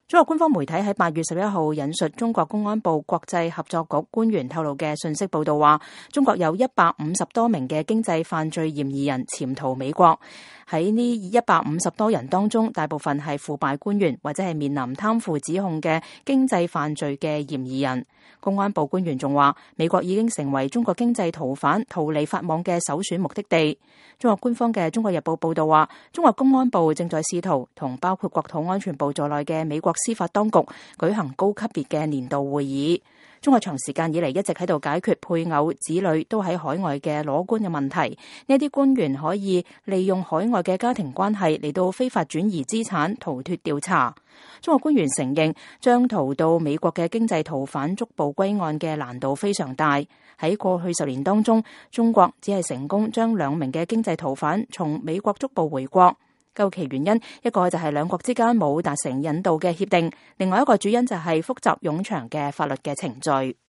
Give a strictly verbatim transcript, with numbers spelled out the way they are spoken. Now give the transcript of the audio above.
中國官方媒體喺八月十一號引述中國公安部國際合作局官員透露嘅信息報道話，中國有一百五十多名嘅經濟犯罪嫌疑人潛逃美國。喺呢一百五十多人當中，大部分係腐敗官員或者係面臨貪腐指控嘅經濟犯罪嘅嫌疑人。公安部官員仲話，美國已經成為中國經濟逃犯逃離法網嘅首選目的地。中國官方嘅《中國日報》報道話，中國公安部正在試圖同包括國土安全部在內嘅美國司法當局舉行高級別嘅年度會議。中國長時間以嚟一直喺度解決配偶、子女都喺海外嘅裸官嘅問題。呢啲官員可以利用海外嘅家庭關係嚟到非法轉移資產，逃脫調查。中國官員承認，將逃到美國嘅經濟逃犯逐步歸案嘅難度非常大。喺過去十年當中，中國只係成功將兩名嘅經濟逃犯從美國逐步回國。究其原因，一個就係兩國之間冇達成引渡嘅協定，另外一個主因就係複雜冗長嘅法律嘅程序。